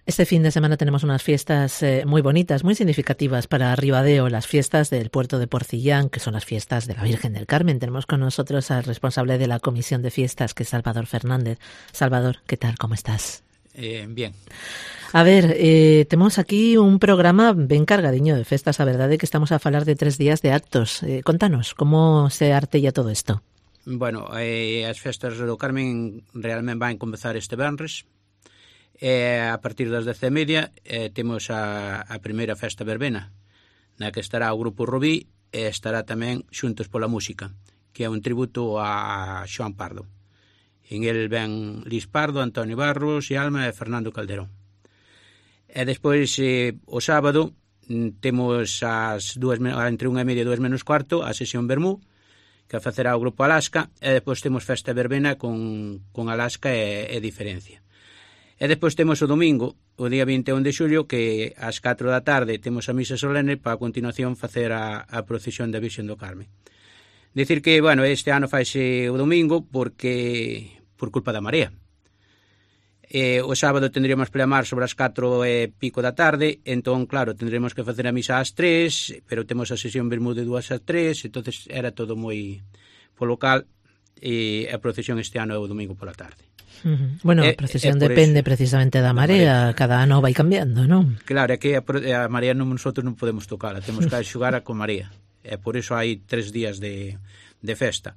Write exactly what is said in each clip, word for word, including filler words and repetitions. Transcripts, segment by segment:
Este fin de semana tenemos unas fiestas eh, muy bonitas, muy significativas para Ribadeo, las fiestas del puerto de Porcillán, que son las fiestas de la Virgen del Carmen. Tenemos con nosotros al responsable de la Comisión de Fiestas, que es Salvador Fernández. Salvador, ¿qué tal? ¿Cómo estás? Eh, bien. A ver, eh, temos aquí un programa ben cargadiño de festas. A verdade é que estamos a falar de tres días de actos. Eh, contanos, como se artella todo isto? Bueno, eh, as festas do Carmen realmente van comezar este venres. Eh, a partir das dez e media eh, temos a, a primeira festa verbena, na que estará o grupo Rubí e estará tamén Xuntos pola Música, que é un tributo a Xoán Pardo. En el ven Lis Pardo, Antonio Barros e Alma e Fernando Calderón. E despois, eh, o sábado, temos as dúas, entre unha e media e dúas menos cuarto, a sesión Bermú, que a facerá o grupo Alaska, e despois temos festa verbena con, con Alaska e, e Diferencia. E despois temos o domingo, o día vinte e un de xullo, que ás catro da tarde temos a misa solene para a continuación facer a, a procesión da Virxen do Carmen. Dicir que, bueno, este ano faise o domingo porque por culpa da marea. Eh, o sábado tendríamos pleamar sobre as catro e pico da tarde, entón, claro, tendremos que facer a misa ás tres, pero temos a sesión Bermú de dúas a tres, entonces era todo moi polo cal, e a procesión este ano é o domingo pola tarde. Uh-huh. Bueno, a procesión eh, eh, depende eso, precisamente da marea, marea, cada ano vai cambiando, non? Claro, é que a, a marea non, nosotros non podemos tocala, temos que xogar a con marea, e por iso hai tres días de, de festa.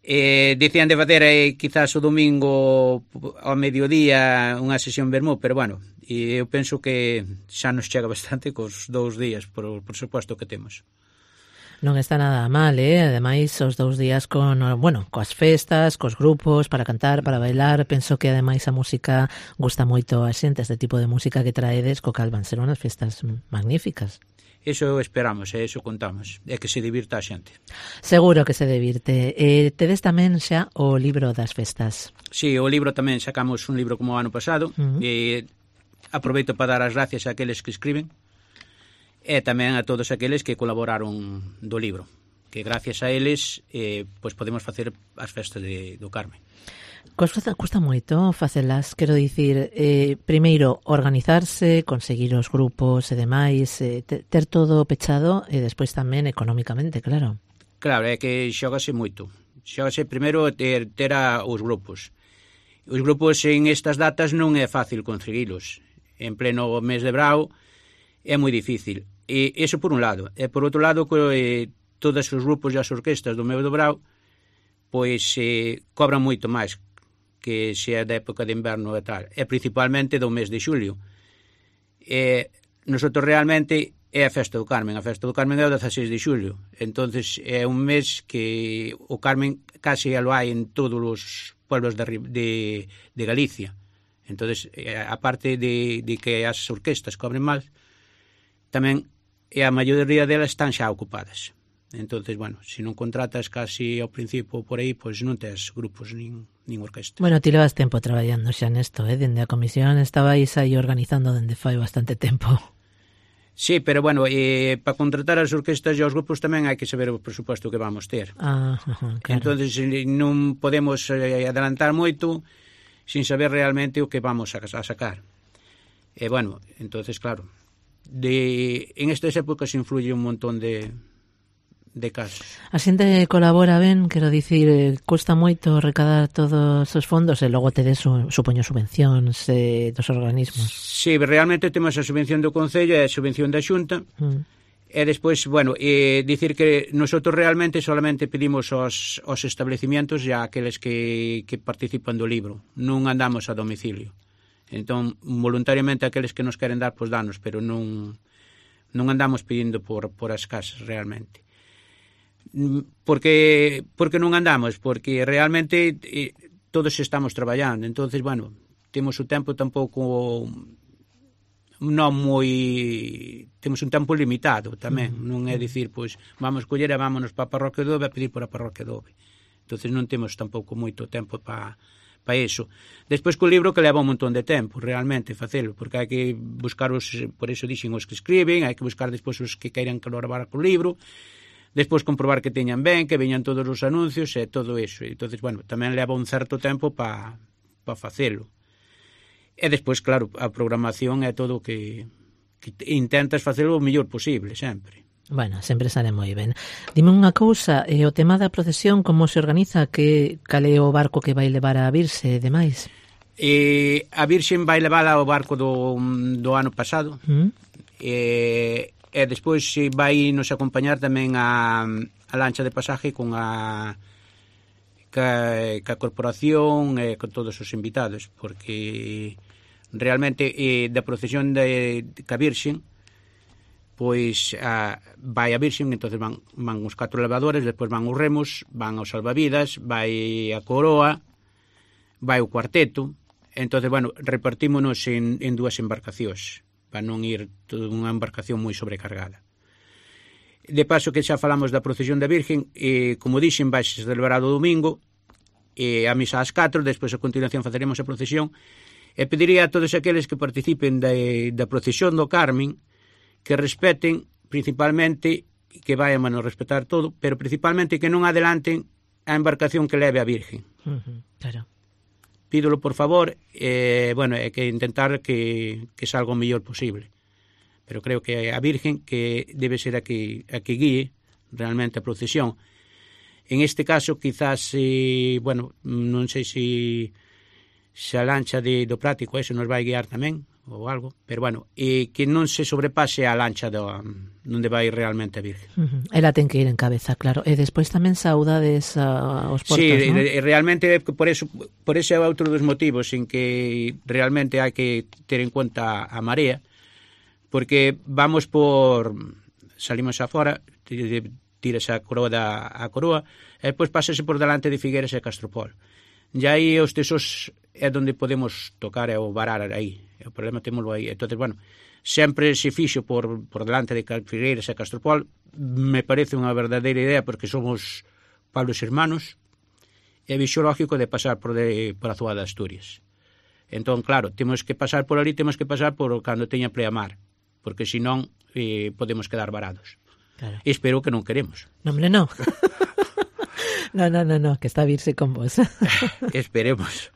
Eh, dicían de fazer eh, quizás o domingo ao mediodía unha sesión Bermú, pero bueno, e eu penso que xa nos chega bastante cos dous días, por, por suposto que temos. Non está nada mal, eh? Ademais, os dous días con, bueno, coas festas, cos grupos, para cantar, para bailar. Penso que ademais a música gusta moito a xente, este tipo de música que traedes, co cal van ser unhas festas magníficas. Eso esperamos, e eso contamos, é que se divirta a xente. Seguro que se divirte. Eh, tedes tamén xa o libro das festas. Sí, o libro tamén sacamos un libro como o ano pasado, uh-huh. e aproveito para dar as gracias a aqueles que escriben, e tamén a todos aqueles que colaboraron do libro, que gracias a eles eh, pois podemos facer as festas de, do Carmen. Custa, custa moito facelas, quero dicir, eh, primeiro organizarse, conseguir os grupos e demais, eh, ter todo pechado e despois tamén económicamente, claro. Claro, é que xógase moito. Xógase primeiro ter, ter a, os grupos. Os grupos en estas datas non é fácil conseguilos. En pleno mes de brao é moi difícil. E iso por un lado. E por outro lado, eh, todos os grupos e as orquestas do meu do Brao pois eh, cobran moito máis que se é da época de inverno e tal. E principalmente do mes de xulio. E nosotros realmente é a festa do Carmen. A festa do Carmen é o dezaseis de xulio. Entonces é un mes que o Carmen case lo hai en todos os pueblos de, de, de Galicia. Entonces, aparte de, de que as orquestas cobren mal, tamén e a maioría delas están xa ocupadas. Entonces, bueno, se non contratas casi ao principio por aí, pois non tes grupos nin, nin orquesta. Bueno, ti levas tempo traballando xa nesto, eh? Dende a comisión estabais aí organizando dende fai bastante tempo. Sí, pero bueno, eh, para contratar as orquestas e os grupos tamén hai que saber o presuposto que vamos ter. Ah, ajá, claro. Entonces, non podemos eh, adelantar moito sin saber realmente o que vamos a, a sacar. E bueno, entonces, claro, de, en estas épocas influye un montón de, de casos. A xente colabora ben, quero dicir, custa moito recadar todos os fondos e logo tedes, supoño, subvencións eh, dos organismos. Sí, realmente temos a subvención do Concello e a subvención da Xunta, mm. e despois, bueno, eh, dicir que nosotros realmente solamente pedimos aos, aos establecimientos e a aqueles que, que participan do libro, non andamos a domicilio. Entón, voluntariamente aqueles que nos queren dar, pois danos, pero non, non andamos pedindo por, por as casas realmente. Porque, porque non andamos? Porque realmente eh, todos estamos traballando, entonces, bueno, temos o tempo tampouco non moi... temos un tempo limitado tamén, mm. non é dicir, pois, vamos coller e vámonos para a parroquia de Ove a pedir por a parroquia de Ove. Entonces non temos tampouco moito tempo para para iso. Despois co libro que leva un montón de tempo realmente facelo, porque hai que buscar os, por iso dixen os que escriben, hai que buscar despois os que queiran colaborar co libro, despois comprobar que teñan ben, que veñan todos os anuncios e todo iso. Entonces, bueno, tamén leva un certo tempo para pa facelo. E despois, claro, a programación é todo o que, que intentas facelo o mellor posible, sempre. Bueno, sempre sale moi ben. Dime unha cousa, e o tema da procesión, como se organiza? Que cal é o barco que vai levar a Virxe e demais? E a Virxen vai levala ao barco do, do ano pasado, ¿Mm? e, e despois vai nos acompañar tamén a, a lancha de pasaje con a ca, ca corporación e con todos os invitados, porque realmente eh, da procesión de, de ca Virxen, pois a, vai a Virxen, entonces van, van os catro levadores, despois van os remos, van os salvavidas, vai a coroa, vai o cuarteto. Entonces, bueno, repartímonos en, en dúas embarcacións para non ir toda unha embarcación moi sobrecargada. De paso que xa falamos da procesión da Virgen, eh, como dixen, vai se celebrar o domingo, eh, a misa ás catro, despois a continuación faceremos a procesión. E pediría a todos aqueles que participen da, da procesión do Carmen que respeten principalmente, que vayan a respetar todo, pero principalmente que non adelanten a embarcación que leve a Virgen. Uh-huh, claro. Pídolo por favor, eh, bueno, é que intentar que, que salga o mellor posible. Pero creo que a Virgen que debe ser a que, a que guíe realmente a procesión. En este caso, quizás, eh, bueno, non sei se... se a lancha de, do práctico eso nos vai guiar tamén ou algo, pero bueno, e que non se sobrepase a lancha do, onde vai realmente a Virgen. Uh-huh. Ela ten que ir en cabeza, claro. E despois tamén saudades uh, os portos, sí, ¿no? Sí, realmente por eso, por ese é outro dos motivos en que realmente hai que ter en conta a marea, porque vamos por salimos afora, tírase a coroa da a coroa, e depois pásase por delante de Figueres e Castropol. E aí os tesos é onde podemos tocar e o varar aí. O problema temoslo aí. Entonces, bueno, sempre se fixo por, por delante de Figueiras e Castropol. Me parece unha verdadeira idea porque somos Pablos hermanos e vixo lógico de pasar por, de, por a Zúa de Asturias. Entón, claro, temos que pasar por ali, temos que pasar por cando teña pleamar, porque senón eh, podemos quedar varados. Claro. E espero que non queremos. No, hombre, no. No, no, no, no, que está a virse con vos. Esperemos.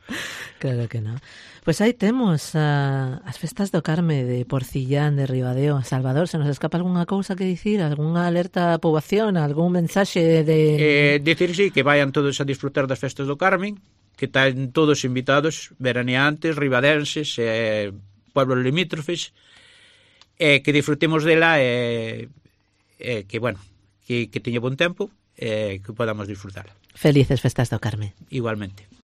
Claro que no. Pois aí temos uh, as festas do Carme de Porcillán, de Ribadeo. Salvador, se nos escapa algunha cousa que dicir? Algunha alerta á poboación? Algún mensaxe de... Eh, decir, sí, que vayan todos a disfrutar das festas do Carmen, que están todos invitados, veraneantes, ribadenses, eh, pueblos limítrofes, eh, que disfrutemos dela e eh, eh, que, bueno, que, que teña bon tempo, eh, que podamos disfrutar. Felices festas do Carme. Igualmente.